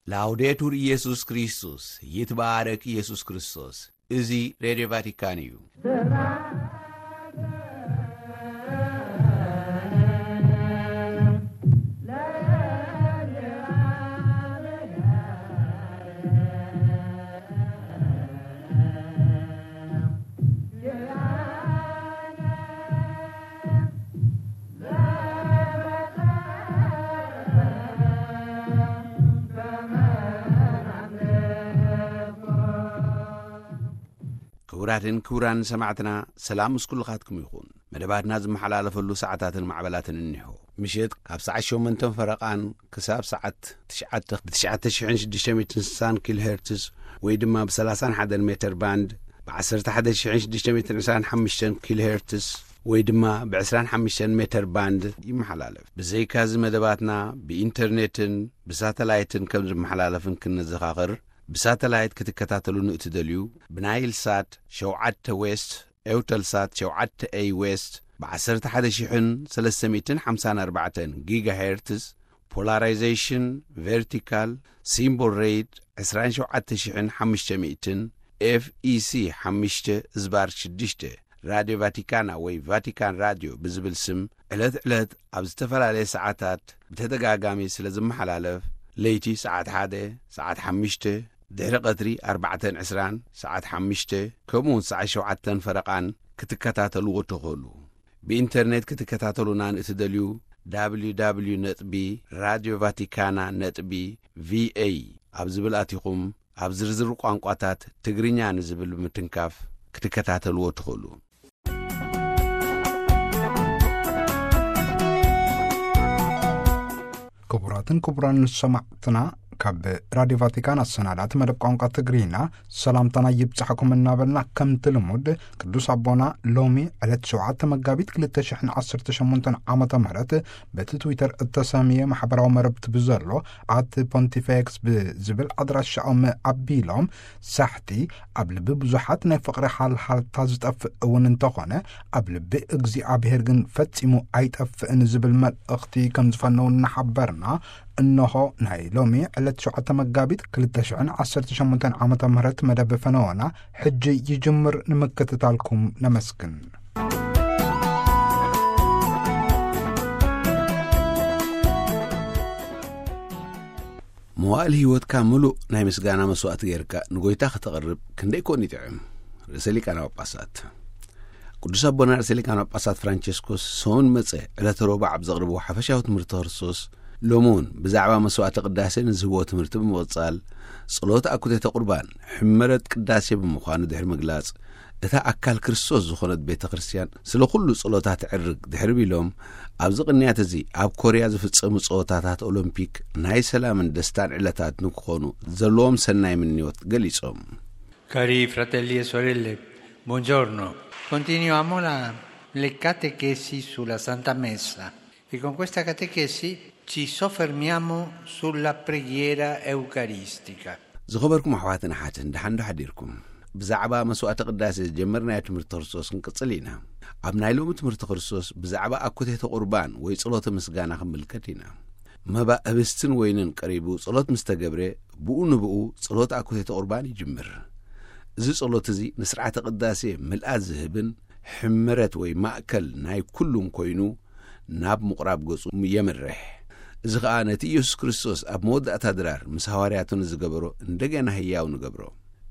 ላውዴቱር ኢየሱስ ክርስቶስ፣ ይትባረክ ኢየሱስ ክርስቶስ። እዚ ሬድዮ ቫቲካን እዩ። ክቡራትን ክቡራን ሰማዕትና፣ ሰላም ምስ ኩልኻትኩም ይኹን። መደባትና ዝመሓላለፈሉ ሰዓታትን ማዕበላትን እኒሆ። ምሸት ካብ ሰዓት ሸሞንተን ፈረቓን ክሳብ ሰዓት ትሽዓተ ብ ትሽዓተ ሽሕን ሽዱሽተ ሚእትን ስሳን ኪሎ ሄርትዝ ወይ ድማ ብ ሰላሳን ሓደን ሜተር ባንድ፣ ብ ዓሰርተ ሓደ ሽሕን ሽዱሽተ ሚእትን ዕስራን ሓሙሽተን ኪሎ ሄርትዝ ወይ ድማ ብ ዕስራን ሓሙሽተን ሜተር ባንድ ይመሓላለፍ። ብዘይካዚ መደባትና ብኢንተርኔትን ብሳተላይትን ከም ዝመሓላለፍን ክንዘኻኽር፣ ብሳተላይት ክትከታተሉን እትደልዩ፣ ብናይል ሳት ሸውዓተ ዌስት፣ ኤውተል ሳት ሸውዓተ ኤይ ዌስት፣ ብ ዓሰርተ ሓደ ሽሕን ሰለስተ ሚእትን ሓምሳን ኣርባዕተን ጊጋ ሄርትዝ፣ ፖላራይዜሽን ቨርቲካል፣ ሲምቦል ሬት ዕስራን ሸውዓተ ሽሕን ሓሙሽተ ሚእትን፣ ኤፍ ኢ ሲ ሓሙሽተ ዝባር ሽዱሽተ፣ ራድዮ ቫቲካና ወይ ቫቲካን ራድዮ ብዝብል ስም ዕለት ዕለት ኣብ ዝተፈላለየ ሰዓታት ብተደጋጋሚ ስለ ዝመሓላለፍ፣ ለይቲ ሰዓት ሓደ፣ ሰዓት ሓሙሽተ፣ ድሕሪ ቀትሪ ኣርባዕተን ዕስራን፣ ሰዓት ሓሙሽተ፣ ከምኡውን ሰዓት ሸውዓተን ፈረቓን ክትከታተልዎ ትኽእሉ። ብኢንተርኔት ክትከታተሉና ንእትደልዩ፣ www ነጥቢ ራድዮ ቫቲካና ነጥቢ ቪኤ ኣብ ዝብል ኣቲኹም፣ ኣብ ዝርዝር ቋንቋታት ትግርኛ ንዝብል ብምትንካፍ ክትከታተልዎ ትኽእሉ። ክቡራትን ክቡራን ሰማዕትና፣ ካብ ራድዮ ቫቲካን ኣሰናዳእቲ መደብ ቋንቋ ትግርኛ ሰላምታና ይብጻሕኩም እናበልና፣ ከምቲ ልሙድ ቅዱስ ኣቦና ሎሚ ዕለት ሸውዓተ መጋቢት ክልተ ሽሕን ዓሰርተ ሸሞንተን ዓመተ ምህረት በቲ ትዊተር እተሰምየ ማሕበራዊ መረብቲ ብዘሎ ኣት ፖንቲፌክስ ብዝብል ኣድራሻኦም ኣቢሎም፣ ሳሕቲ ኣብ ልቢ ብዙሓት ናይ ፍቕሪ ሃልሃልታ ዝጠፍእ እውን እንተኾነ፣ ኣብ ልቢ እግዚኣብሔር ግን ፈጺሙ ኣይጠፍእን ዝብል መልእኽቲ ከም ዝፈነው እናሓበርና፣ እነሆ ናይ ሎሚ ዕለት ሸውዓተ መጋቢት ክልተ ሽሕን ዓሰርተ ሸሞንተን ዓመተ ምህረት መደብ ፈነወና ሕጂ ይጅምር። ንምክትታልኩም ነመስግን። መዋእል ህይወትካ ምሉእ ናይ ምስጋና መስዋእቲ ጌርካ ንጎይታ ከተቕርብ ክንደይ ኮን ይጥዕም! ርእሰ ሊቃነ ጳጳሳት ቅዱስ ኣቦና ርእሰ ሊቃነ ጳጳሳት ፍራንቸስኮስ ሰሙን መጸ ዕለተ ሮባ ኣብ ዘቕርብዎ ሓፈሻዊ ትምህርቲ ክርስቶስ፣ ሎሚ እውን ብዛዕባ መስዋእቲ ቅዳሴ ንዝህብዎ ትምህርቲ ብምቕጻል፣ ጸሎት ኣኩቴተ ቁርባን ሕመረት ቅዳሴ ብምዃኑ ድሕሪ ምግላጽ፣ እታ ኣካል ክርስቶስ ዝኾነት ቤተ ክርስቲያን ስለ ኩሉ ጸሎታ ትዕርግ ድሕሪ ቢሎም፣ ኣብዚ ቅንያት እዚ ኣብ ኮርያ ዝፍጸሙ ጸወታታት ኦሎምፒክ ናይ ሰላምን ደስታን ዕለታት ንክኾኑ ዘለዎም ሰናይ ምንዮት ገሊጾም። Cari fratelli e sorelle, buongiorno. Continuiamo la, le catechesi sulla Santa Messa e con questa catechesi ci soffermiamo sulla preghiera eucaristica. ዝኸበርኩም ኣሕዋትን ኣሓትን፣ ደሓን ዶ ሓዲርኩም? ብዛዕባ መስዋእቲ ቅዳሴ ዝጀመርናዮ ትምህርቲ ክርስቶስ ክንቅጽል ኢና። ኣብ ናይ ሎሚ ትምህርቲ ክርስቶስ ብዛዕባ ኣኩቴተ ቁርባን ወይ ጸሎተ ምስጋና ክንምልከት ኢና። መባእ ህብስትን ወይንን ቀሪቡ ጸሎት ምስ ተገብረ፣ ብኡ ንብኡ ጸሎት ኣኩቴተ ቁርባን ይጅምር። እዚ ጸሎት እዚ ንስርዓተ ቅዳሴ ምልኣት ዝህብን ሕመረት ወይ ማእከል ናይ ኩሉን ኮይኑ፣ ናብ ምቑራብ ገጹ የምርሕ። እዚ ኸኣ ነቲ ኢየሱስ ክርስቶስ ኣብ መወዳእታ ድራር ምስ ሃዋርያቱ ንዝገበሮ እንደገና ህያው ንገብሮ።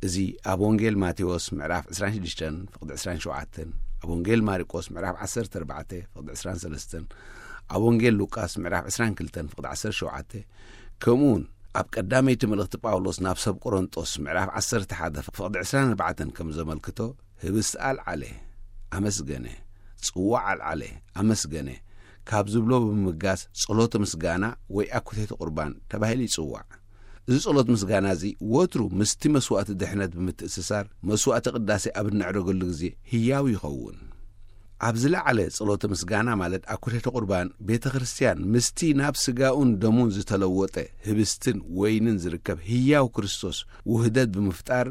እዚ ኣብ ወንጌል ማቴዎስ ምዕራፍ ዕስራን ሽዱሽተን ፍቕዲ ዕስራን ሸውዓተን፣ ኣብ ወንጌል ማርቆስ ምዕራፍ ዓሰርተ ኣርባዕተ ፍቕዲ ዕስራን ሰለስተን፣ ኣብ ወንጌል ሉቃስ ምዕራፍ ዕስራን ክልተን ፍቕዲ ዓሰርተ ሸውዓተ፣ ከምኡውን ኣብ ቀዳመይቲ መልእኽቲ ጳውሎስ ናብ ሰብ ቆሮንጦስ ምዕራፍ ዓሰርተ ሓደ ፍቕዲ ዕስራን ኣርባዕተን ከም ዘመልክቶ፣ ህብስቲ ኣልዓለ፣ ኣመስገነ፣ ጽዋዕ ኣልዓለ፣ ኣመስገነ፣ ካብ ዝብሎ ብምብጋስ ጸሎተ ምስጋና ወይ ኣኩቴተ ቁርባን ተባሂሉ ይጽዋዕ። እዚ ጸሎት ምስጋና እዚ ወትሩ ምስቲ መስዋእቲ ድሕነት ብምትእስሳር መስዋእቲ ቅዳሴ ኣብ እነዕርገሉ ግዜ ህያው ይኸውን። ኣብ ዝለዓለ ጸሎተ ምስጋና ማለት ኣኩቴተ ቁርባን ቤተ ክርስቲያን ምስቲ ናብ ስጋኡን ደሙን ዝተለወጠ ህብስትን ወይንን ዝርከብ ህያው ክርስቶስ ውህደት ብምፍጣር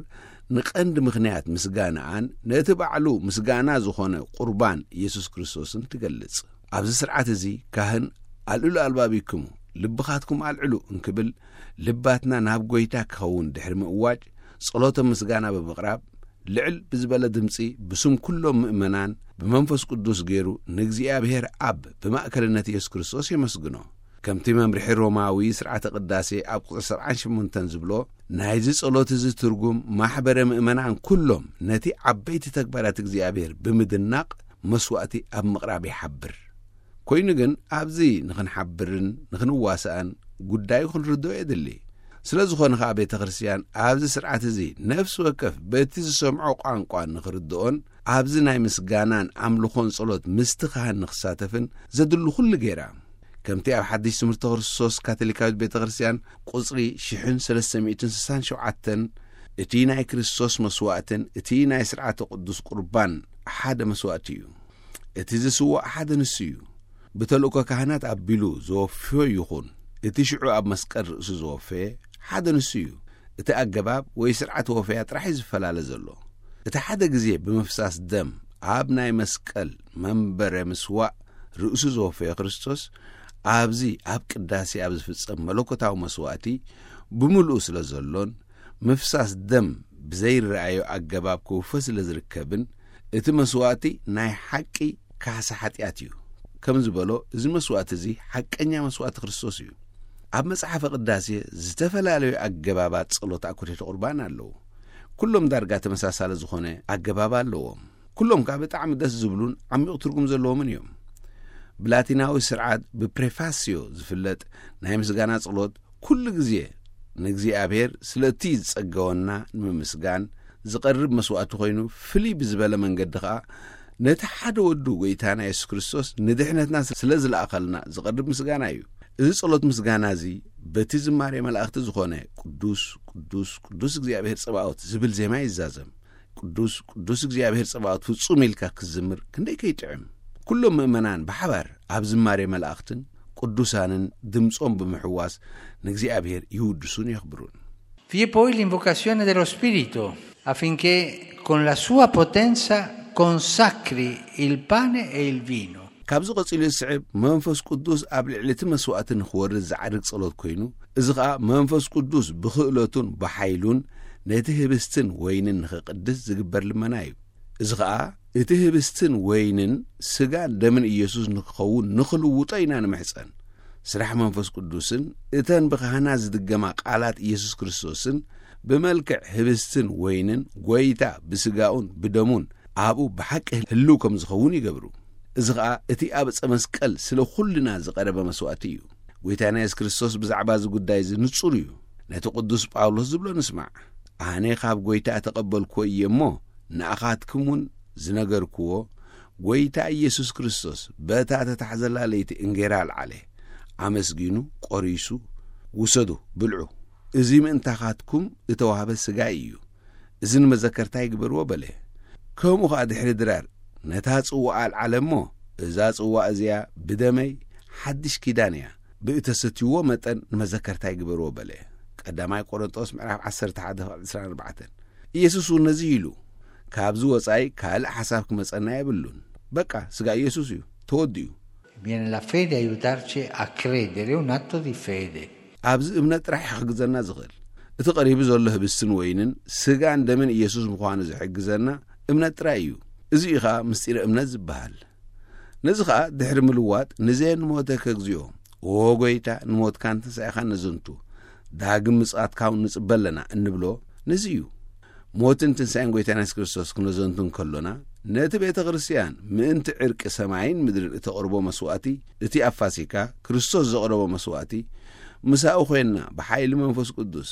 ንቐንዲ ምኽንያት ምስጋናኣን ነቲ ባዕሉ ምስጋና ዝኾነ ቁርባን ኢየሱስ ክርስቶስን ትገልጽ። ኣብዚ ስርዓት እዚ ካህን ኣልዕሉ ኣልባቢክሙ ልብኻትኩም ኣልዕሉ እንክብል፣ ልባትና ናብ ጎይታ ክኸውን ድሕሪ ምእዋጅ፣ ጸሎተ ምስጋና ብምቕራብ፣ ልዕል ብዝበለ ድምጺ ብስም ኩሎም ምእመናን ብመንፈስ ቅዱስ ገይሩ ንእግዚኣብሔር ኣብ ብማእከልነት ኢየሱስ ክርስቶስ የመስግኖ። ከምቲ መምርሒ ሮማዊ ስርዓተ ቅዳሴ ኣብ ቁጽሪ ሰብዓን ሸሞንተን ዝብሎ፣ ናይዚ ጸሎት እዚ ትርጉም ማሕበረ ምእመናን ኩሎም ነቲ ዓበይቲ ተግባራት እግዚኣብሔር ብምድናቕ መስዋእቲ ኣብ ምቕራብ ይሓብር። ኮይኑ ግን ኣብዚ ንኽንሓብርን ንኽንዋሳእን ጉዳዩ ክንርድኦ የድሊ። ስለ ዝኾነ ኸኣ ቤተ ክርስቲያን ኣብዚ ስርዓት እዚ ነፍሲ ወከፍ በቲ ዝሰምዖ ቋንቋ ንኽርድኦን ኣብዚ ናይ ምስጋናን ኣምልኾን ጸሎት ምስቲ ካህን ንኽሳተፍን ዘድሉ ኩሉ ገይራ። ከምቲ ኣብ ሓድሽ ትምህርቲ ክርስቶስ ካቶሊካዊት ቤተ ክርስቲያን ቁጽሪ ሽሕን ሰለስተ ሚእትን ስሳን ሸውዓተን፣ እቲ ናይ ክርስቶስ መስዋእትን እቲ ናይ ስርዓተ ቅዱስ ቁርባን ሓደ መስዋእቲ እዩ። እቲ ዝስዋእ ሓደ ንሱ እዩ። ብተልእኮ ካህናት ኣቢሉ ዝወፍዮ ይኹን፣ እቲ ሽዑ ኣብ መስቀል ርእሱ ዝወፈየ ሓደ ንሱ እዩ። እቲ ኣገባብ ወይ ስርዓት ወፈያ ጥራሕ እዩ ዝፈላለ ዘሎ። እቲ ሓደ ግዜ ብምፍሳስ ደም ኣብ ናይ መስቀል መንበረ ምስዋእ ርእሱ ዝወፈየ ክርስቶስ፣ ኣብዚ ኣብ ቅዳሴ ኣብ ዝፍጸም መለኮታዊ መስዋእቲ ብምሉኡ ስለ ዘሎን፣ ምፍሳስ ደም ብዘይረኣዮ ኣገባብ ክውፈ ስለ ዝርከብን፣ እቲ መስዋእቲ ናይ ሓቂ ካሕሳ ሓጢኣት እዩ። ከም ዝበሎ፣ እዚ መስዋእቲ እዚ ሓቀኛ መስዋእቲ ክርስቶስ እዩ። ኣብ መጽሓፈ ቅዳሴ ዝተፈላለዩ ኣገባባት ጸሎት ኣኩቴተ ቁርባን ኣለዉ። ኩሎም ዳርጋ ተመሳሳሊ ዝኾነ ኣገባብ ኣለዎም። ኩሎም ከኣ ብጣዕሚ ደስ ዝብሉን ዓሚቕ ትርጉም ዘለዎምን እዮም። ብላቲናዊ ስርዓት ብፕሬፋስዮ ዝፍለጥ ናይ ምስጋና ጸሎት ኩሉ ግዜ ንእግዚኣብሔር ስለ እቲ ዝጸገወና ንምምስጋን ዝቐርብ መስዋእቲ ኮይኑ፣ ፍልይ ብዝበለ መንገዲ ኸኣ ነቲ ሓደ ወዱ ጐይታና የሱስ ክርስቶስ ንድሕነትና ስለ ዝለኣኸልና ዝቐርብ ምስጋና እዩ። እዚ ጸሎት ምስጋና እዚ በቲ ዝማሬ መላእኽቲ ዝኾነ ቅዱስ፣ ቅዱስ፣ ቅዱስ እግዚኣብሔር ጸባኦት ዝብል ዜማ ይዛዘም። ቅዱስ፣ ቅዱስ እግዚኣብሔር ጸባኦት ፍጹም ኢልካ ክትዝምር ክንደይ ከይጥዕም። ኩሎም ምእመናን ብሓባር ኣብ ዝማሬ መላእኽትን ቅዱሳንን ድምጾም ብምሕዋስ ንእግዚኣብሔር ይውድሱን የኽብሩን። Vi è poi l'invocazione dello Spirito, affinché con la sua potenza consacri il pane e il vino. ካብዚ ቀጺሉ ዝስዕብ መንፈስ ቅዱስ ኣብ ልዕሊ እቲ መስዋእቲ ንኽወርድ ዝዓርግ ጸሎት ኮይኑ፣ እዚ ኸኣ መንፈስ ቅዱስ ብኽእለቱን ብሓይሉን ነቲ ህብስትን ወይንን ንኽቕድስ ዝግበር ልመና እዩ። እዚ ኸኣ እቲ ህብስትን ወይንን ስጋን ደምን ኢየሱስ ንክኸውን ንኽልውጦ ኢና ንምሕጸን። ስራሕ መንፈስ ቅዱስን እተን ብኻህናት ዝድገማ ቃላት ኢየሱስ ክርስቶስን ብመልክዕ ህብስትን ወይንን ጐይታ ብስጋኡን ብደሙን ኣብኡ ብሓቂ ህልው ከም ዝኸውን ይገብሩ። እዚ ኸኣ እቲ ኣብ ዕፀ መስቀል ስለ ኹልና ዝቐረበ መስዋእቲ እዩ። ጐይታና የሱስ ክርስቶስ ብዛዕባ እዚ ጉዳይ እዚ ንጹር እዩ። ነቲ ቅዱስ ጳውሎስ ዝብሎ ንስማዕ። ኣነ ካብ ጐይታ እተቐበልክዎ እየ እሞ፣ ንኣኻትኩም እውን ዝነገርክዎ፣ ጐይታ ኢየሱስ ክርስቶስ በታ ተታሕዘላ ለይቲ እንጌራ ኣልዓለ፣ ኣመስጊኑ፣ ቈሪሱ፣ "ውሰዱ፣ ብልዑ፣ እዚ ምእንታኻትኩም እተዋህበ ሥጋይ እዩ፣ እዚ ንመዘከርታይ ግበርዎ" በለ። ከምኡ ኸኣ ድሕሪ ድራር ነታ ጽዋእ ኣልዓለ እሞ፣ "እዛ ጽዋእ እዚኣ ብደመይ ሓድሽ ኪዳን እያ፣ ብእተሰትይዎ መጠን ንመዘከርታይ ግበርዎ" በለ። ቀዳማይ ቆሮንጦስ ምዕራፍ ዓሰርተ ሓደ ዕስራን ኣርባዕተን። ኢየሱስ እውን ነዚ ኢሉ፣ "ካብዚ ወጻኢ ካልእ ሓሳብ ክመጸና የብሉን። በቃ፣ ስጋ ኢየሱስ እዩ፣ ተወዲኡ." Viene la fede a aiutarci a credere, è un atto di fede. ኣብዚ እምነት ጥራሕ ይሕግዘና ዝኽእል። እቲ ቀሪቡ ዘሎ ህብስትን ወይንን ስጋን ደምን ኢየሱስ ምዃኑ ዝሕግዘና እምነት ጥራይ እዩ። እዚ እዩ ኸኣ ምስጢረ እምነት ዝበሃል። ነዚ ኸኣ ድሕሪ ምልዋጥ፣ "ንዘየንሞተ ከግዚኦ፣ ኦ ጐይታ፣ ንሞትካን ትንሳኤኻን ነዘንቱ፣ ዳግም ምጽኣትካ እውን ንጽበ ኣለና" እንብሎ ነዚ እዩ። ሞትን ትንሳኤን ጐይታና የሱስ ክርስቶስ ክነዘንቱ እንከሎና፣ ነቲ ቤተ ክርስቲያን ምእንቲ ዕርቂ ሰማይን ምድርን እተቕርቦ መስዋእቲ፣ እቲ ኣብ ፋሲካ ክርስቶስ ዘቕረቦ መስዋእቲ፣ ምሳኡ ኾይንና ብሓይሊ መንፈስ ቅዱስ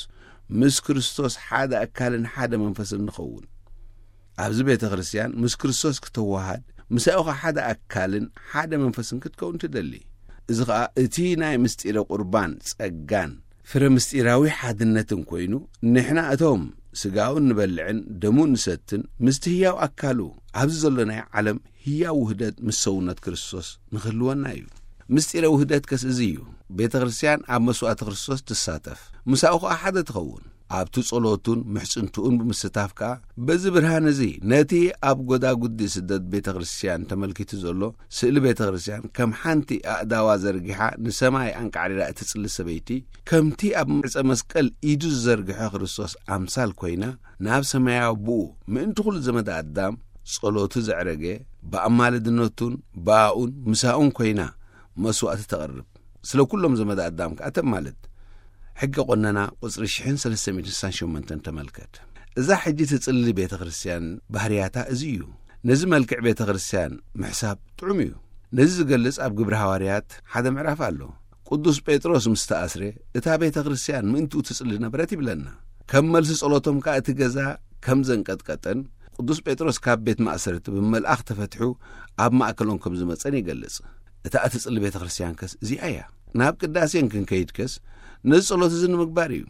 ምስ ክርስቶስ ሓደ ኣካልን ሓደ መንፈስን ንኸውን። ኣብዚ ቤተ ክርስቲያን ምስ ክርስቶስ ክተወሃድ፣ ምሳኡ ኸኣ ሓደ ኣካልን ሓደ መንፈስን ክትከውን ትደሊ። እዚ ኸኣ እቲ ናይ ምስጢረ ቁርባን ጸጋን ፍረ ምስጢራዊ ሓድነትን ኮይኑ፣ ንሕና እቶም ስጋኡ እንበልዕን ደሙ እንሰትን ምስቲ ህያው ኣካሉ ኣብዚ ዘሎ ናይ ዓለም ህያው ውህደት ምስ ሰውነት ክርስቶስ ንኽህልወና እዩ። ምስጢረ ውህደት ከስ እዚ እዩ። ቤተ ክርስቲያን ኣብ መስዋእቲ ክርስቶስ ትሳተፍ፣ ምሳኡ ኸኣ ሓደ ትኸውን። ኣብቲ ጸሎቱን ምሕጽንትኡን ብምስታፍ ከኣ፣ በዚ ብርሃን እዚ ነቲ ኣብ ጎዳጉዲ ስደት ቤተ ክርስቲያን ተመልኪቱ ዘሎ ስእሊ ቤተ ክርስቲያን ከም ሓንቲ ኣእዳዋ ዘርጊሓ ንሰማይ ኣንቃዕሪራ እትጽሊ ሰበይቲ፣ ከምቲ ኣብ ዕጸ መስቀል ኢዱ ዝዘርግሐ ክርስቶስ ኣምሳል ኮይና፣ ናብ ሰማያዊ ኣቦኡ ምእንቲ ኩሉ ዘመደ ኣዳም ጸሎቱ ዘዕረገ፣ ብኣማልድነቱን ብኣኡን ምሳኡን ኮይና መስዋእቲ ተቕርብ፣ ስለ ኩሎም ዘመደ ኣዳም ከኣ ተማልድ። ሕገ ቆነና ቁጽሪ ሽሕን ሰለስተ ሚእትን ስሳን ሸሞንተን ተመልከት። እዛ ሕጂ ትጽሊ ቤተ ክርስቲያን ባህርያታ እዚ እዩ። ነዚ መልክዕ ቤተ ክርስቲያን ምሕሳብ ጥዑም እዩ። ነዚ ዝገልጽ ኣብ ግብሪ ሃዋርያት ሓደ ምዕራፍ ኣሎ። ቅዱስ ጴጥሮስ ምስ ተኣስረ፣ እታ ቤተ ክርስቲያን ምእንትኡ ትጽሊ ነበረት ይብለና። ከም መልሲ ጸሎቶም ከኣ እቲ ገዛ ከም ዘንቀጥቀጠን፣ ቅዱስ ጴጥሮስ ካብ ቤት ማእሰርቲ ብመልኣኽ ተፈትሑ ኣብ ማእከሎም ከም ዝመጸን ይገልጽ። እታ እትጽሊ ቤተ ክርስቲያን ከስ እዚኣ እያ። ናብ ቅዳሴን ክንከይድ ከስ ነዚ ጸሎት እዚ ንምግባር እዩ።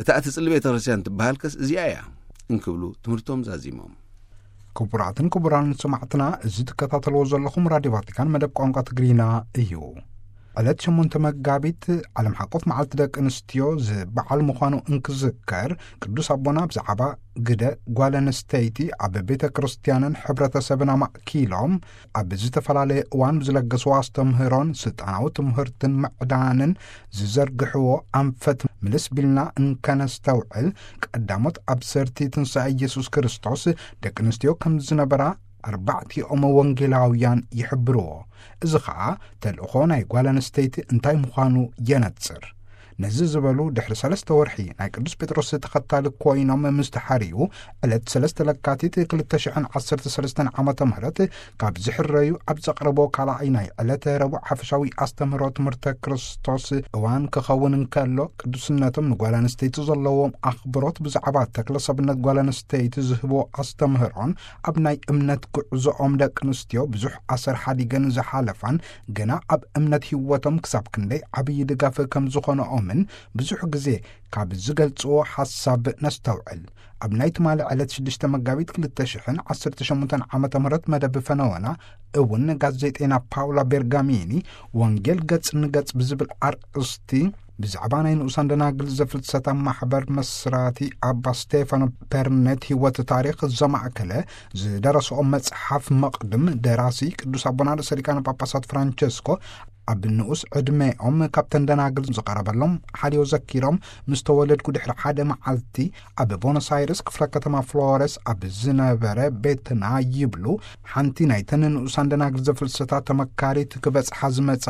እታ እትጽሊ ቤተ ክርስቲያን ትበሃል ከስ እዚኣ እያ እንክብሉ ትምህርቶም ዛዚሞም። ክቡራትን ክቡራን ሰማዕትና፣ እዚ ትከታተልዎ ዘለኹም ራድዮ ቫቲካን መደብ ቋንቋ ትግርኛ እዩ። ዕለት ሸሞንተ መጋቢት ዓለም ሓቆፍ መዓልቲ ደቂ ኣንስትዮ ዝበዓል ምዃኑ እንክዝከር፣ ቅዱስ ኣቦና ብዛዕባ ግደ ጓል ኣንስተይቲ ኣብ ቤተ ክርስቲያንን ሕብረተሰብን ኣማእኪሎም ኣብ ዝተፈላለየ እዋን ብዝለገስዎ ኣስተምህሮን ስልጣናዊ ትምህርትን ምዕዳንን ዝዘርግሕዎ ኣንፈት ምልስ ቢልና እንከነስተውዕል፣ ቀዳሞት ኣብሰርቲ ትንሳኤ ኢየሱስ ክርስቶስ ደቂ ኣንስትዮ ከም ዝነበራ ኣርባዕቲኦም ወንጌላውያን ይሕብርዎ። እዚ ኸኣ ተልእኾ ናይ ጓል ኣንስተይቲ እንታይ ምዃኑ የነጽር። ነዚ ዝበሉ ድሕሪ ሰለስተ ወርሒ ናይ ቅዱስ ጴጥሮስ ተኸታሊ ኮይኖም ምስ ተሓርዩ፣ ዕለት ሰለስተ ለካቲት ክልተ ሽሕን ዓሰርተ ሰለስተን ዓመተ ምህረት ካብ ዝሕረዩ ኣብ ዘቕረቦ ካልኣይ ናይ ዕለተ ረቡዕ ሓፈሻዊ ኣስተምህሮ ትምህርተ ክርስቶስ እዋን ክኸውን እንከሎ፣ ቅዱስነቶም ንጓል ኣንስተይቲ ዘለዎም ኣኽብሮት ብዛዕባ ተክለ ሰብነት ጓል ኣንስተይቲ ዝህቦ ኣስተምህሮን ኣብ ናይ እምነት ጉዕዞኦም ደቂ ኣንስትዮ ብዙሕ ኣሰር ሓዲገን ዝሓለፋን ገና ኣብ እምነት ህይወቶም ክሳብ ክንደይ ዓብዪ ድጋፍ ከም ዝኾነኦምን ብዙሕ ግዜ ካብ ዝገልጽዎ ሓሳብ ነስተውዕል። ኣብ ናይ ትማሊ ዕለት ሽዱሽተ መጋቢት ክልተ ሽሕን ዓሰርተ ሸሞንተን ዓመተ ምህረት መደብ ፈነወና እውን ጋዜጠይና ፓውላ ቤርጋሚኒ ወንጌል ገጽ ንገጽ ብዝብል ኣርእስቲ ብዛዕባ ናይ ንኡሳን ደናግል ዘፍልሰታ ማሕበር መስራቲ ኣባ ስቴፋኖ ፐርኔት ህይወት ታሪኽ ዘማእከለ ዝደረስኦ መጽሓፍ መቕድም ደራሲ ቅዱስ ኣቦና ርእሰ ሊቃነ ጳጳሳት ፍራንቸስኮ ኣብ ንኡስ ዕድሜኦም ካብተን ደናግል ዝቐረበሎም ሓልዮ ዘኪሮም፣ ምስ ተወለድኩ ድሕሪ ሓደ መዓልቲ ኣብ ቦኖስ ኣይርስ ክፍለ ከተማ ፍሎረስ ኣብ ዝነበረ ቤትና ይብሉ፣ ሓንቲ ናይተን ንኡሳን ደናግል ዘፍልሰታ ተመካሪት ክበጽሓ ዝመጻ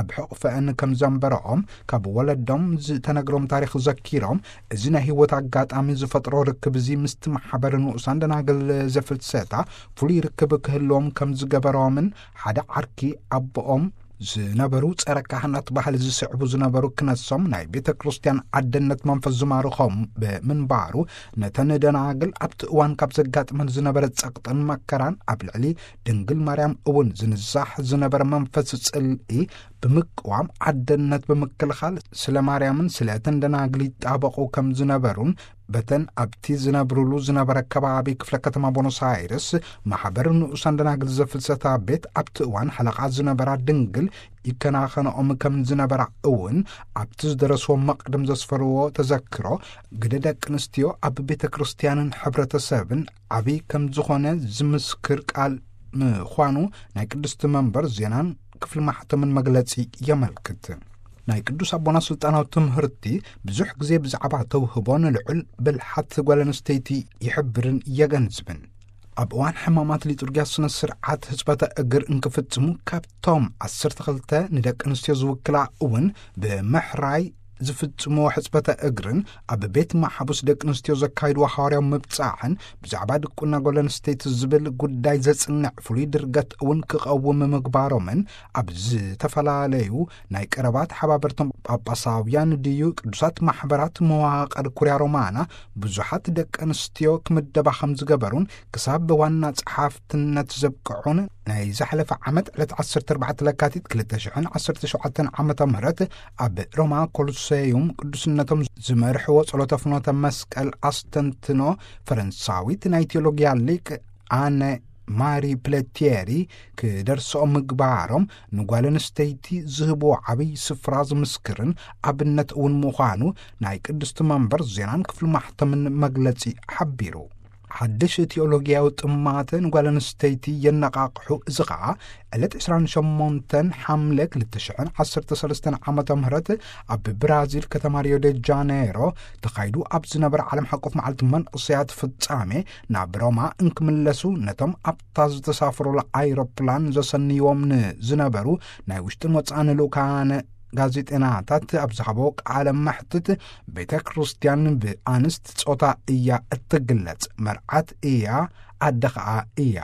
ኣብ ሕቕፈአን ከም ዘንበረኦም ካብ ወለዶም ዝተነግሮም ታሪኽ ዘኪሮም፣ እዚ ናይ ህይወት ኣጋጣሚ ዝፈጥሮ ርክብ እዚ ምስቲ ማሕበር ንኡሳን ደናግል ዘፍልሰታ ፍሉይ ርክብ ክህልዎም ከም ዝገበሮምን ሓደ ዓርኪ ኣቦኦም ዝነበሩ ጸረ ካህናት ባህሊ ዝስዕቡ ዝነበሩ ክነሶም ናይ ቤተ ክርስቲያን ኣደነት መንፈስ ዝማርኾም ብምንባሩ፣ ነተን ደናግል ኣብቲ እዋን ካብ ዘጋጥመን ዝነበረ ጸቕጥን መከራን ኣብ ልዕሊ ድንግል ማርያም እውን ዝንዛሕ ዝነበረ መንፈስ ጽልኢ ብምቅዋም ኣደነት ብምክልኻል ስለ ማርያምን ስለ እተን ደናግል ይጣበቑ ከም ዝነበሩን በተን ኣብቲ ዝነብሩሉ ዝነበረ ከባቢ ክፍለ ከተማ ቦኖስ ኣይርስ ማሕበር ንኡሳን ደናግል ዘፍልሰታ ቤት ኣብቲ እዋን ሓለቓ ዝነበራ ድንግል ይከናኸንኦም ከም ዝነበራ እውን ኣብቲ ዝደረስዎ መቕድም ዘስፈርዎ ተዘክሮ ግደ ደቂ ኣንስትዮ ኣብ ቤተ ክርስቲያንን ሕብረተሰብን ዓብዪ ከም ዝኾነ ዝምስክር ቃል ምዃኑ ናይ ቅድስቲ መንበር ዜናን ክፍሊ ማሕተምን መግለጺ የመልክት። ናይ ቅዱስ ኣቦና ስልጣናዊ ትምህርቲ ብዙሕ ግዜ ብዛዕባ ተውህቦ ንልዑል ብልሓት ጓል ኣንስተይቲ ይሕብርን የገንዝብን። ኣብ እዋን ሕማማት ሊጡርጊያ ስነ ስርዓት ህጽበተ እግር እንክፍጽሙ ካብቶም ዓሰርተ ክልተ ንደቂ ኣንስትዮ ዝውክላ እውን ብምሕራይ ዝፍጽምዎ ሕጽበተ እግርን ኣብ ቤት ማሕቡስ ደቂ ኣንስትዮ ዘካይድዎ ሓዋርያዊ ምብጻሕን ብዛዕባ ድቁና ጓል ኣንስተይቲ ዝብል ጉዳይ ዘጽንዕ ፍሉይ ድርገት እውን ክቐውም ምግባሮምን ኣብ ዝተፈላለዩ ናይ ቀረባ ተሓባበርቶም ጳጳሳውያን ድዩ ቅዱሳት ማሕበራት መዋቕር ኩርያ ሮማና ብዙሓት ደቂ ኣንስትዮ ክምደባ ከም ዝገበሩን ክሳብ ዋና ጸሓፍትነት ዘብቅዑን ናይ ዝሓለፈ ዓመት ዕለት ዓሰርተ ኣርባዕተ ለካቲት ክልተ ሽሕን ዓሰርተ ሸውዓተን ዓመተ ምህረት ኣብ ሮማ ኮሎሴዩም ቅዱስነቶም ዝመርሕዎ ጸሎተ ፍኖተ መስቀል ኣስተንትኖ ፈረንሳዊት ናይ ቴዎሎጊያ ሊቅ ኣነ ማሪ ፕለቴሪ ክደርሶ ምግባሮም ንጓል ኣንስተይቲ ዝህቦ ዓብይ ስፍራ ዝምስክርን ኣብነት እውን ምዃኑ ናይ ቅድስቲ መንበር ዜናን ክፍሊ ማሕተምን መግለጺ ሓቢሩ። ሓድሽ ቴዎሎጊያዊ ጥማተ ንጓል ኣንስተይቲ የነቓቕሑ። እዚ ኸኣ ዕለት ዕስራን ሸሞንተን ሓምለ ክልተ ሽሕን ዓሰርተ ሰለስተን ዓመተ ምህረት ኣብ ብራዚል ከተማ ሪዮ ደ ጃኔሮ ተኻይዱ ኣብ ዝነበረ ዓለም ሓቆፍ መዓልቲ መንእሰያት ፍጻሜ ናብ ሮማ እንክምለሱ ነቶም ኣብታ ዝተሳፍሩላ ኣይሮፕላን ዘሰንይዎም ንዝነበሩ ናይ ውሽጥን ወጻእን ልኡካነ ጋዜጠናታት ኣብ ዝሃቦ ቃለ መሕትት ቤተ ክርስቲያን ብኣንስት ጾታ እያ እትግለጽ፣ መርዓት እያ፣ ኣደ ኸኣ እያ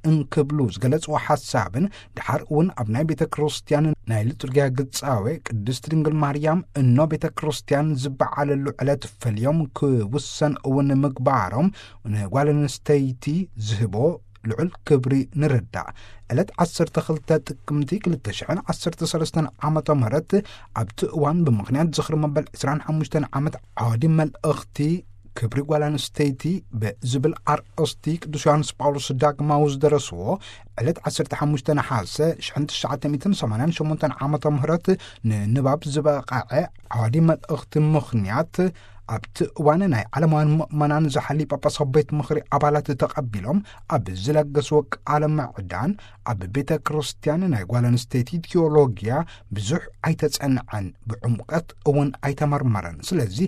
እንክብሉ ዝገለጽዎ ሓሳብን ድሓር እውን ኣብ ናይ ቤተ ክርስቲያን ናይ ሊጡርጊያ ግጻዌ ቅድስት ድንግል ማርያም እኖ ቤተ ክርስቲያን ዝበዓለሉ ዕለት ፈልዮም ክውሰን እውን ምግባሮም ንጓል ኣንስተይቲ ዝህቦ ልዑል ክብሪ ንርዳእ። ዕለት ዓሰርተ ክልተ ጥቅምቲ ክልተ ሽሕን ዓሰርተ ሰለስተን ዓመተ ምህረት ኣብቲ እዋን ብምኽንያት ዝኽሪ መበል ዕስራን ሓሙሽተን ዓመት ዓወዲ መልእኽቲ ክብሪ ጓል ኣንስተይቲ ብዝብል ኣርእስቲ ቅዱስ ዮሃንስ ጳውሎስ ዳግማዊ ዝደረስዎ ዕለት ዓሰርተ ሓሙሽተ ነሓሰ ሽሕን ትሽዓተ ሚእትን ሰማንያን ሸሞንተን ዓመተ ምህረት ንንባብ ዝበቕዐ ዓወዲ መልእኽቲ ምኽንያት ኣብቲ እዋን ናይ ዓለማውያን ምእመናን ዝሓሊ ጳጳሳዊ ቤት ምኽሪ ኣባላት ተቐቢሎም ኣብ ዝለገስዎ ቃለ ምዕዳን ኣብ ቤተ ክርስቲያን ናይ ጓል ኣንስተይቲ ቴዎሎጊያ ብዙሕ ኣይተጸንዐን፣ ብዕምቀት እውን ኣይተመርመረን። ስለዚ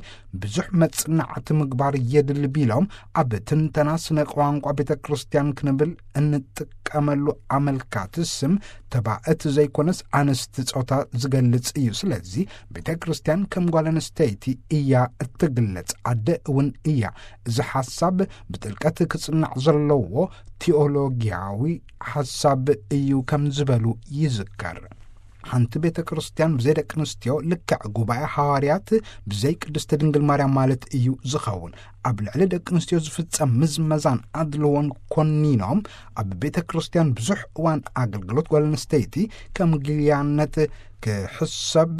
ብዙሕ መጽናዕቲ ምግባር የድሊ ቢሎም ኣብ ትንተና ስነ ቋንቋ ቤተ ክርስቲያን ክንብል እንጥቀመሉ ኣመልካቲ ስም ተባእት ዘይኮነስ ኣንስቲ ጾታ ዝገልጽ እዩ። ስለዚ ቤተ ክርስቲያን ከም ጓል ኣንስተይቲ እያ እትግለጽ፣ ኣደ እውን እያ። እዚ ሓሳብ ብጥልቀት ክጽናዕ ዘለዎ ቴዎሎጊያዊ ሓሳብ እዩ ከም ዝበሉ ይዝከር። ሓንቲ ቤተ ክርስቲያን ብዘይ ደቂ ኣንስትዮ ልክዕ ጉባኤ ሃዋርያት ብዘይ ቅድስቲ ድንግል ማርያም ማለት እዩ ዝኸውን። ኣብ ልዕሊ ደቂ ኣንስትዮ ዝፍጸም ምዝመዛን ኣድልዎን ኮኒኖም ኣብ ቤተ ክርስቲያን ብዙሕ እዋን ኣገልግሎት ጓል ኣንስተይቲ ከም ግልያነት ክሕሰብ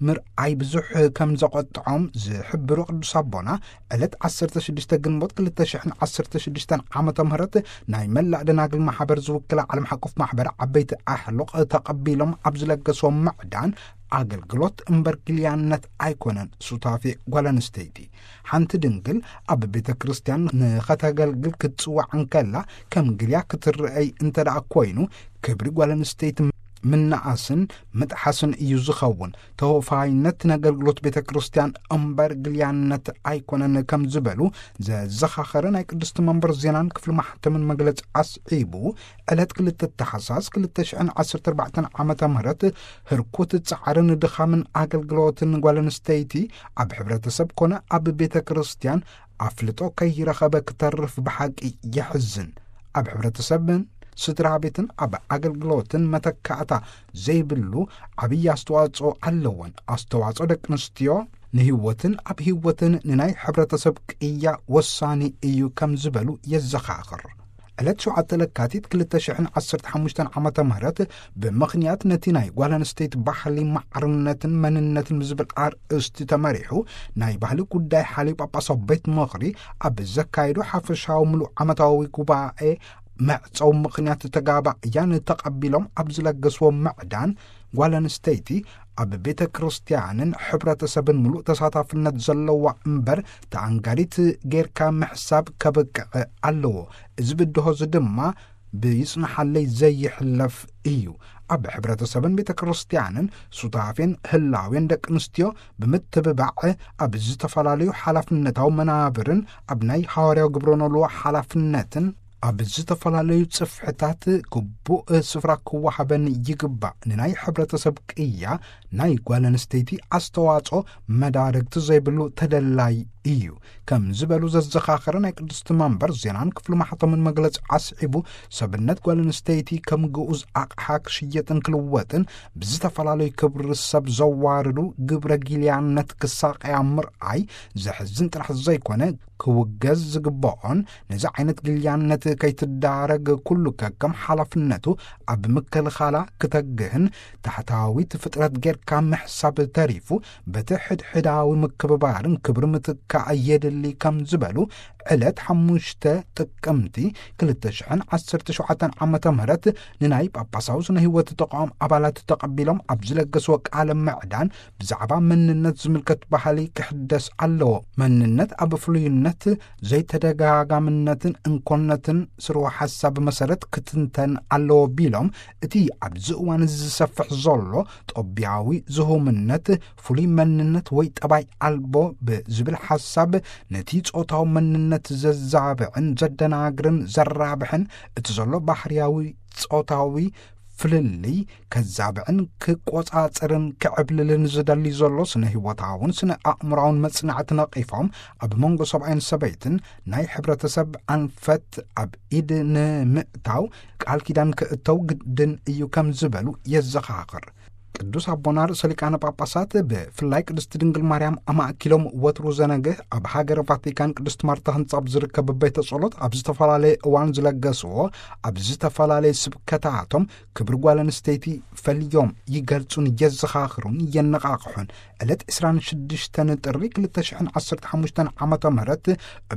ምርኣይ ብዙሕ ከም ዘቖጥዖም ዝሕብሩ ቅዱስ ኣቦና ዕለት ዓሰርተ ሽዱሽተ ግንቦት ክልተ ሽሕን ዓሰርተ ሽዱሽተን ዓመተ ምህረት ናይ መላእ ደናግል ማሕበር ዝውክላ ዓለም ሓቆፍ ማሕበር ዓበይቲ ኣሕሉቕ ተቐቢሎም ኣብ ዝለገስዎም ምዕዳን ኣገልግሎት እምበር ግልያነት ኣይኮነን ሱታፌ ጓል ኣንስተይቲ። ሓንቲ ድንግል ኣብ ቤተ ክርስቲያን ንኸተገልግል ክትጽዋዕ እንከላ ከም ግልያ ክትረኣይ እንተ ደኣ ኮይኑ ክብሪ ጓል ኣንስተይቲ ምንኣስን ምጥሓስን እዩ ዝኸውን። ተወፋይነት ነገልግሎት ቤተ ክርስቲያን እምበር ግልያነት ኣይኮነን ከም ዝበሉ ዘዘኻኸረ ናይ ቅድስቲ መንበር ዜናን ክፍሊ ማሕተምን መግለጺ ኣስዒቡ ዕለት ክልተ ታሕሳስ ክልተ ሽሕን ዓሰርተ ኣርባዕተን ዓመተ ምህረት ህርኩት ጻዕርን ድኻምን ኣገልግሎትን ጓል ኣንስተይቲ ኣብ ሕብረተሰብ ኮነ ኣብ ቤተ ክርስቲያን ኣፍልጦ ከይረኸበ ክተርፍ ብሓቂ የሕዝን። ኣብ ሕብረተሰብን ስድራ ቤትን ኣብ ኣገልግሎትን መተካእታ ዘይብሉ ዓብዪ ኣስተዋጽኦ ኣለወን። ኣስተዋጽኦ ደቂ ኣንስትዮ ንህይወትን ኣብ ህይወትን ንናይ ሕብረተሰብ ቅያ ወሳኒ እዩ ከም ዝበሉ የዘኻኽር። ዕለት ሸውዓተ ለካቲት ክልተ ሽሕን ዓሰርተ ሓሙሽተን ዓመተ ምህረት ብምኽንያት ነቲ ናይ ጓል ኣንስተይቲ ባህሊ ማዕርነትን መንነትን ብዝብል ኣርእስቲ ተመሪሑ ናይ ባህሊ ጉዳይ ሓልዩ ጳጳሳዊ ቤት ምኽሪ ኣብ ዘካየዶ ሓፈሻዊ ምሉእ ዓመታዊ ጉባኤ መዕጸዊ ምኽንያት ተጋባእያን ተቐቢሎም ኣብ ዝለገስዎ ምዕዳን ጓል ኣንስተይቲ ኣብ ቤተ ክርስቲያንን ሕብረተሰብን ምሉእ ተሳታፍነት ዘለዋ እምበር ተኣንጋዲት ጌርካ ምሕሳብ ከበቅዕ ኣለዎ። እዚ ብድሆ እዚ ድማ ብይጽንሓለይ ዘይሕለፍ እዩ። ኣብ ሕብረተሰብን ቤተ ክርስቲያንን ሱታፌን ህላዌን ደቂ ኣንስትዮ ብምትብባዕ ኣብ ዝተፈላለዩ ሓላፍነታዊ መናብርን ኣብ ናይ ሃዋርያዊ ግብረ ኖልዎ ሓላፍነትን ኣብ ዝተፈላለዩ ጽፍሕታት ግቡእ ስፍራ ክወሃበን ይግባእ። ንናይ ሕብረተሰብ ቅያ ናይ ጓል ኣንስተይቲ ኣስተዋጽኦ መዳርግቲ ዘይብሉ ተደላይ እዩ ከም ዝበሉ ዘዘኻኸረ ናይ ቅድስቲ መንበር ዜናን ክፍሊ ማሕተምን መግለጺ ኣስዒቡ፣ ሰብነት ጓል ኣንስተይቲ ከም ግኡዝ ኣቕሓ ክሽየጥን ክልወጥን ብዝተፈላለዩ ክብሪ ሰብ ዘዋርዱ ግብረ ጊልያነት ክሳቀያ ምርኣይ ዘሕዝን ጥራሕ ዘይኮነ ክውገዝ ዝግብኦን ነዚ ዓይነት ግልያነት ከይትዳረግ ኩሉ ከከም ሓላፍነቱ ኣብ ምክልኻላ ክተግህን ታሕታዊት ፍጥረት ጌርካ ምሕሳብ ተሪፉ በቲ ሕድሕዳዊ ምክብባርን ክብሪ ምትካእ የድሊ ከም ዝበሉ ዕለት ሓሙሽተ ጥቅምቲ ክልተ ሽሕን ዓሰርተ ሸውዓተን ዓመተ ምህረት ንናይ ጳጳሳዊ ስነ ህይወት ተቃውም ኣባላት ተቐቢሎም ኣብ ዝለገስዎ ቃለ ምዕዳን፣ ብዛዕባ መንነት ዝምልከት ባህሊ ክሕደስ ኣለዎ። መንነት ኣብ ፍሉይነት፣ ዘይተደጋጋምነትን እንኮነትን ስርወ ሓሳብ መሰረት ክትንተን ኣለዎ ቢሎም፣ እቲ ኣብዚ እዋን እዚ ዝሰፍሕ ዘሎ ጦቢያዊ ዝሁምነት፣ ፍሉይ መንነት ወይ ጠባይ ኣልቦ ብዝብል ሓሳብ፣ ነቲ ጾታዊ መንነት ዘዛብዕን ዘደናግርን ዘራብሕን፣ እቲ ዘሎ ባህርያዊ ጾታዊ ፍልልይ ከዛብዕን ክቆጻጽርን ክዕብልልን ዝደሊ ዘሎ ስነ ህይወታውን ስነ ኣእምራውን መጽናዕቲ ነቒፎም፣ ኣብ መንጎ ሰብኣይን ሰበይትን ናይ ሕብረተሰብ ኣንፈት ኣብ ኢድ ንምእታው ቃል ኪዳን ክእተው ግድን እዩ ከም ዝበሉ የዘኻኽር። ቅዱስ ኣቦና ርእሰ ሊቃነ ጳጳሳት ብፍላይ ቅድስቲ ድንግል ማርያም ኣማእኪሎም ወትሩ ዘነግህ ኣብ ሃገረ ቫቲካን ቅድስት ማርታ ህንጻ ኣብ ዝርከብ ቤተ ጸሎት ኣብ ዝተፈላለየ እዋን ዝለገስዎ፣ ኣብ ዝተፈላለየ ስብከታቶም ክብሪ ጓል ኣንስተይቲ ፈልዮም ይገልጹን የዘኻኽሩን የነቓቕሑን። ዕለት ዕስራን ሽዱሽተን ጥሪ ክልተ ሽሕን ዓሰርተ ሓሙሽተን ዓመተ ምህረት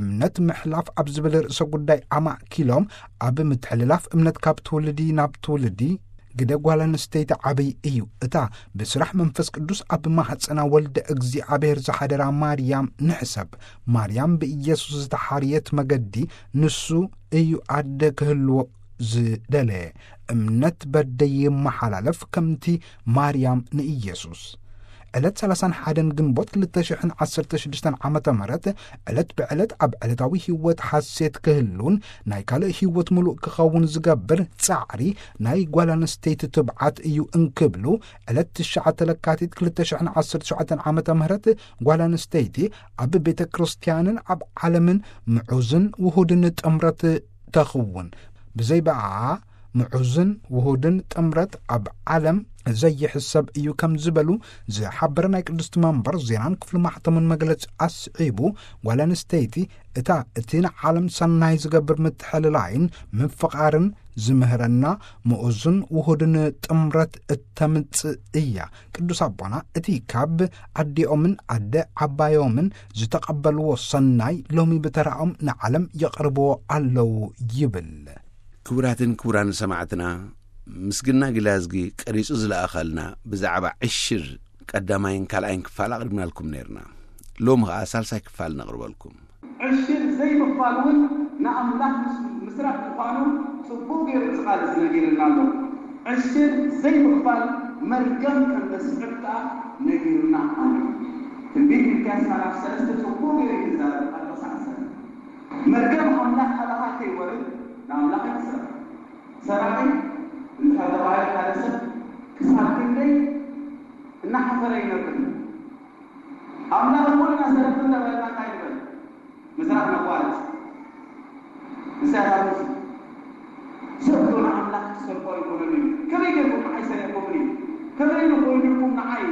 እምነት ምሕላፍ ኣብ ዝብል ርእሰ ጉዳይ ኣማእኪሎም፣ ኣብ ምትሕልላፍ እምነት ካብ ትውልዲ ናብ ትውልዲ ግደ ጓል ኣንስተይቲ ዓብይ እዩ። እታ ብስራሕ መንፈስ ቅዱስ ኣብ ማህፀና ወልደ እግዚኣብሔር ዝሓደራ ማርያም ንሕሰብ። ማርያም ብኢየሱስ ዝተሓርየት መገዲ ንሱ እዩ ኣደ ክህልዎ ዝደለየ። እምነት በደይ ይመሓላለፍ ከምቲ ማርያም ንኢየሱስ። ዕለት ሰላሳን ሓደን ግንቦት ክልተ ሽሕን ዓሰርተ ሽዱሽተን ዓመተ ምህረት ዕለት ብዕለት ኣብ ዕለታዊ ህይወት ሓሴት ክህሉን ናይ ካልእ ህይወት ምሉእ ክኸውን ዝገብር ጻዕሪ ናይ ጓል ኣንስተይቲ ትብዓት እዩ እንክብሉ፣ ዕለት ትሽዓተ ለካቲት ክልተ ሽሕን ዓሰርተ ሸውዓተን ዓመተ ምህረት ጓል ኣንስተይቲ ኣብ ቤተ ክርስቲያንን ኣብ ዓለምን ምዑዝን ውሁድን ጥምረት ተኽውን። ብዘይ ብኣ ምዑዝን ውሁድን ጥምረት ኣብ ዓለም ዘይሕሰብ እዩ ከም ዝበሉ ዝሓበረ ናይ ቅድስቲ መንበር ዜናን ክፍሊ ማሕተሙን መግለጺ ኣስዒቡ፣ ጓል ኣንስተይቲ እታ እቲ ንዓለም ሰናይ ዝገብር ምትሕልላይን ምፍቓርን ዝምህረና ምኡዝን ውሁድን ጥምረት እተምጽእ እያ። ቅዱስ ኣቦና እቲ ካብ ኣዲኦምን ኣደ ዓባዮምን ዝተቐበልዎ ሰናይ ሎሚ ብተራኦም ንዓለም የቕርብዎ ኣለዉ ይብል። ክቡራትን ክቡራን ሰማዕትና፣ ምስግና ግላዝጊ ቀሪጹ ዝለኣኸልና ብዛዕባ ዕሽር ቀዳማይን ካልኣይን ክፋል ኣቕሪብናልኩም ነይርና። ሎሚ ኸኣ ሳልሳይ ክፋል ነቕርበልኩም። ዕሽር ዘይምኽፋል እውን ንኣምላኽ ምስ-፣ ምስራሕ ምዃኑ ጽቡቕ ገይሩ እዚ ቃል እዚ ነጊርና ኣሎ። ዕሽር ዘይምኽፋል መርገም ከም ዘስዕብ ከኣ ነጊሩና ኣሎ። ትንቢት ሚልክያስ ምዕራፍ ሰለስተ ጽቡቕ ገይሩ እዩ ዝዛረብ ኣብ ጥቕሲ ዓሰርተ። መርገም ኣምላኽ ኣባኻ ከይወርድ ንኣምላኽ ኣይትስራሕ። ሰራቒ እንድሕር ተባሂሉ ሓደ ሰብ ክሳብ ክንደይ እናሓፈረ ይነብር። ኣምላኽ እሞ ኢና ሰረቕቲ እንተበልና እንታይ ንበል? ምስራሕ ነቋርጽ። ንስያስ ኣልሙሲ ሰብ ዶ ንኣምላኽ ክሰርቆ ኣይኮነን እዩ። ከመይ ጌርኩም ንዓይ ሰሪቕኩምኒ? ከመይ ንኾይኑልኩም ንዓይ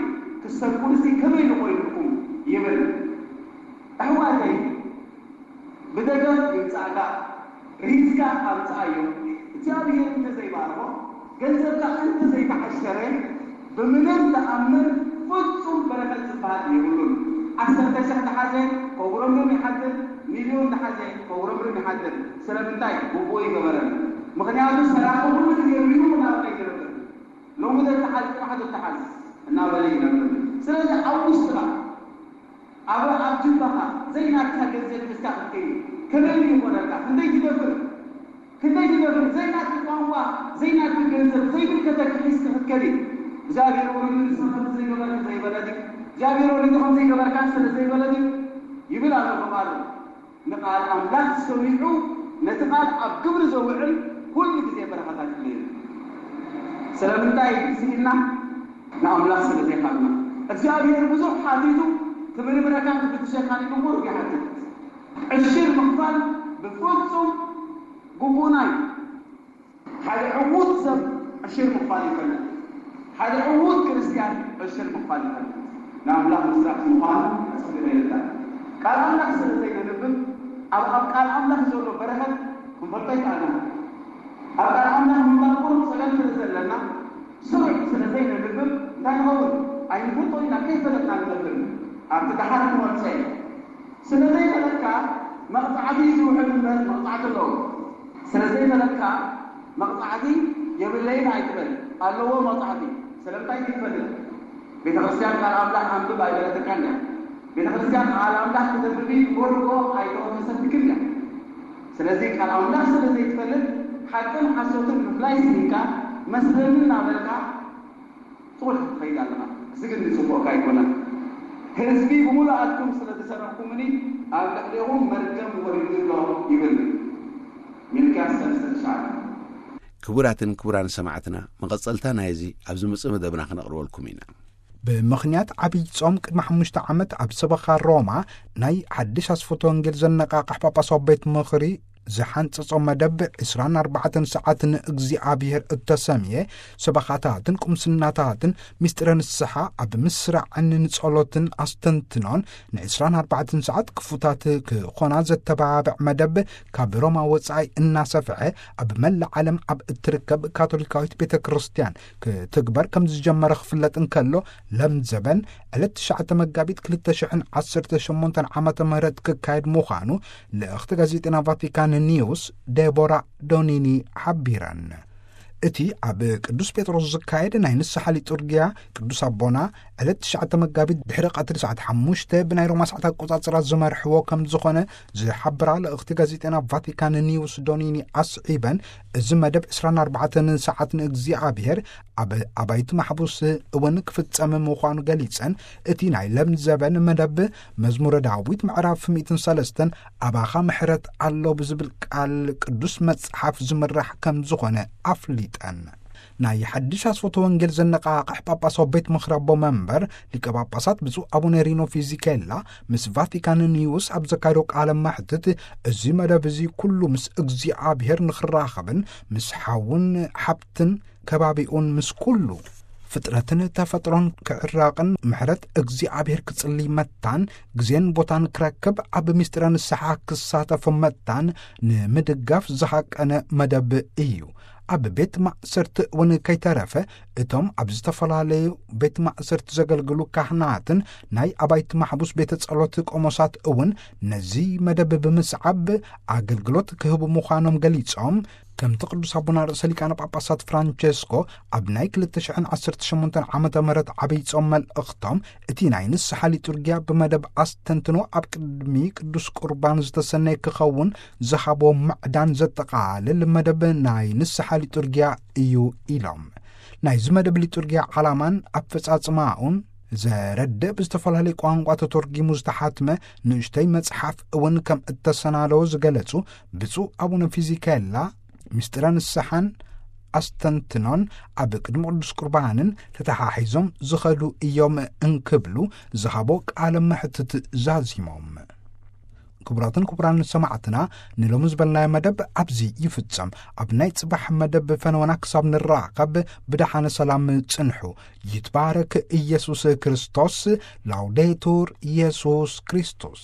ክሰርቁንሲ ከመይ ንኾይኑልኩም? ይብል። ኣሕዋተይ፣ ብደገፍ ይምጻእካ፣ ርሂጽካ ኣምጽኣዮ። እግዚኣብሔር እንተዘይባርኾ፣ ገንዘብካ እንተዘይተዓሸረ፣ ብምንም ተኣምር ፍጹም በረኸት ዝበሃል የብሉን። ዓሰርተ ሽሕ ተሓዘ፣ ከጉረምርም ይሓድር፣ ሚልዮን ተሓዘ፣ ከጉረምርም ይሓድር። ስለምንታይ? ግቡኡ ይገበረን። ምኽንያቱ ሰራቒ ኩሉ ግዜ ሪኡ እናበለ ይነብር። ሎሚ ዘተሓዝ፣ ጽባሕ ዘተሓዝ እናበለ ይነብር። ስለዚ ኣብ ውሽጥኻ ኣብ፣ ኣብ ጅባኻ ዘይናትካ ገንዘብ ሒዝካ ክትከይድ ከመይ ድዩ ይኾነልካ? ክንደይ ትደፍር? ክንደይ ትደፍር? ዘይናትካ ቋንቋ፣ ዘይናትካ ገንዘብ፣ ዘይምልከተካ ሒዝካ ክትከይድ። እግዚኣብሔር ወሪዱ ንስኻ ከምዚ ዘይገበርካ ዘይበለ ድዩ? እግዚኣብሔር ወሪዱ ከምዚ ይገበርካ ስለ ዘይበለ ድዩ? ይብል ኣሎ ብቓሉ። ንቓል ኣምላኽ ሰሚዑ ነቲ ቃል ኣብ ግብሪ ዘውዕል ኩሉ ግዜ በረኸታት ይህልዎ። ስለምንታይ ስኢልና? ንኣምላኽ ስለ ዘይኻድና። እግዚኣብሔር ብዙሕ ሓቲቱ ክምርምረካን ክፍትሸካን ኢሉ ቁሩብ ይሓትት። ዕሽር ምኽፋል ብፍጹም ግቡእና እዩ። ሓደ ዕዉት ሰብ ዕሽር ምኽፋል ይፈልጥ። ሓደ ዕዉት ክርስትያን ዕሽር ምኽፋል ይፈልጥ። ንኣምላኽ ምስራሕ ምዃኑ ኣጸቢቑ የረድእ። ቃል ኣምላኽ ስለ ዘይነንብብ፣ ኣብ፣ ኣብ ቃል ኣምላኽ ዘሎ በረኸት ክንፈልጦ ኣይከኣልናን። ኣብ ቃል ኣምላኽ ምንባብ ቁሩብ ጸገም ስለ ዘለና፣ ስሩዕ ስለ ዘይነንብብ እንታይ ንኸውን? ኣይንፈልጦ ኢና፣ ከይፈለጥና ንነብር። ኣብቲ ደሓር ክንወርሶ እዩ። ስለ ዘይፈለጥካ፣ መቕጻዕቲ እዩ ዝውሕድ እምበር መቕጻዕቲ ኣለዎ። ስለ ዘይፈለጥካ መቕጻዕቲ የብለይን ኣይትበል። ኣለዎ መቕጻዕቲ። ስለምንታይ ትፈልጥ? ቤተ ክርስቲያን ቃል ኣምላኽ ኣንብብ ኣይበለትካን እያ። ቤተ ክርስቲያን ቃል ኣምላኽ ክተንብቢ ቦርጎ ኣይተወፈሰትክን እያ። ስለዚ ቃል ኣምላኽ ስለ ዘይትፈልጥ ሓቅን ሓሶትን ምፍላይ ስኢንካ መስለኒ እናበልካ ጥቕልሕ ትኸይድ ኣለኻ። እዚ ግን ንጽቡቕካ ኣይኮነን። ህዝቢ ብምሉኣትኩም ስለ ዝሰረቕኩምኒ ኣብ ልዕሌኹም መርገም ወሪዱ ኣሎ ይብል። ሚልክያስ ሰለስተ ትሽዓተ። ክቡራትን ክቡራን ሰማዕትና፣ መቐጸልታ ናይዚ ኣብ ዝመጽእ መደብና ክነቕርበልኩም ኢና። ብምኽንያት ዓብይ ጾም ቅድሚ ሓሙሽተ ዓመት ኣብ ሰበኻ ሮማ ናይ ሓድሽ ኣስፈቶ ወንጌል ዘነቓቕሕ ጳጳሳዊ ቤት ምኽሪ ዝሓንጸጾ መደብ ዕስራን ኣርባዕተን ሰዓት ንእግዚኣብሔር እተሰምየ ሰበኻታትን ቁምስናታትን ምስጢረ ንስሓ ኣብ ምስራዕን ንጸሎትን ኣስተንትኖን ንዕስራን ኣርባዕተን ሰዓት ክፉታት ክኾና ዘተባብዕ መደብ ካብ ሮማ ወጻኢ እናሰፍሐ ኣብ መላእ ዓለም ኣብ እትርከብ ካቶሊካዊት ቤተ ክርስቲያን ክትግበር ከም ዝጀመረ ክፍለጥ እንከሎ፣ ለምዘበን ዕለት ትሽዓተ መጋቢት ክልተ ሽሕን ዓሰርተ ሸሞንተን ዓመተ ምህረት ክካየድ ምዃኑ ልእኽቲ ጋዜጠና ቫቲካን ኒውስ ዴቦራ ዶኒኒ ሓቢረን። እቲ ኣብ ቅዱስ ጴጥሮስ ዝካየድ ናይ ንስሓ ሊጡርጊያ ቅዱስ ኣቦና ዕለት ትሽዓተ መጋቢት ድሕሪ ቀትሪ ሰዓት ሓሙሽተ ብናይ ሮማ ሰዓት ኣቆጻጽራ ዝመርሕዎ ከም ዝኾነ ዝሓብራ ልእኽቲ ጋዜጠና ቫቲካን ኒውስ ዶኒኒ ኣስዒበን፣ እዚ መደብ ዕስራን ኣርባዕተን ሰዓት ንእግዚኣብሔር ኣብ ኣባይቲ ማሕቡስ እውን ክፍጸም ምዃኑ ገሊጸን፣ እቲ ናይ ለምዘበን መደብ መዝሙረ ዳዊት ምዕራፍ ሚእትን ሰለስተን ኣባኻ ምሕረት ኣሎ ብዝብል ቃል ቅዱስ መጽሓፍ ዝምራሕ ከም ዝኾነ ኣፍሊጠን። ናይ ሓድሽ ኣስፈቶ ወንጌል ዘነቓቕሕ ጳጳሳዊ ቤት ምኽሪ ኣቦ መንበር ሊቀ ጳጳሳት ብፁዕ ኣቡነ ሪኖ ፊዚኬላ ምስ ቫቲካን ኒውስ ኣብ ዘካየዶ ቃለ መሕትት፣ እዚ መደብ እዚ ኩሉ ምስ እግዚኣብሔር ንኽራኸብን ምስ ሓውን ሓብትን ከባቢኡን ምስ ኩሉ ፍጥረትን ተፈጥሮን ክዕራቕን ምሕረት እግዚኣብሔር ክጽልይ መታን ግዜን ቦታን ክረክብ ኣብ ምስጢረ ንስሓ ክሳተፍ መታን ንምድጋፍ ዝሃቀነ መደብ እዩ። ኣብ ቤት ማእሰርቲ እውን ከይተረፈ እቶም ኣብ ዝተፈላለዩ ቤት ማእሰርቲ ዘገልግሉ ካህናትን ናይ ኣባይቲ ማሕቡስ ቤተ ጸሎት ቆሞሳት እውን ነዚ መደብ ብምስዓብ ኣገልግሎት ክህቡ ምዃኖም ገሊጾም፣ ከምቲ ቅዱስ ኣቦና ርእሰ ሊቃነ ጳጳሳት ፍራንቸስኮ ኣብ ናይ ክልተ ሽሕን ዓሰርተ ሸሞንተን ዓመተ ምህረት ዓብይ ጾም መልእኽቶም፣ እቲ ናይ ንስሓ ሊጡርጊያ ብመደብ ኣስተንትኖ ኣብ ቅድሚ ቅዱስ ቁርባን ዝተሰነየ ክኸውን ዝሃቦ ምዕዳን ዘጠቓልል መደብ ናይ ንስሓ ሊጡርጊያ እዩ ኢሎም። ናይዚ መደብ ሊጡርጊያ ዓላማን ኣፈጻጽማኡን ዘረድእ ብዝተፈላለየ ቋንቋ ተተርጊሙ ዝተሓትመ ንእሽተይ መጽሓፍ እውን ከም እተሰናደወ ዝገለጹ ብፁዕ ኣቡነ ፊዚኬላ፣ ምስጢረ ንስሓን ኣስተንትኖን ኣብ ቅድሚ ቅዱስ ቁርባንን ተተሓሒዞም ዝኸዱ እዮም እንክብሉ ዝሃቦ ቃለ መሕትት ዛዚሞም። ክቡራትን ክቡራን ሰማዕትና፣ ንሎሚ ዝበልናዮ መደብ ኣብዚ ይፍጸም። ኣብ ናይ ጽባሕ መደብ ፈነወና ክሳብ ንራኸብ ብደሓነ ሰላም ጽንሑ። ይትባረክ ኢየሱስ ክርስቶስ። ላውዴቱር ኢየሱስ ክርስቶስ።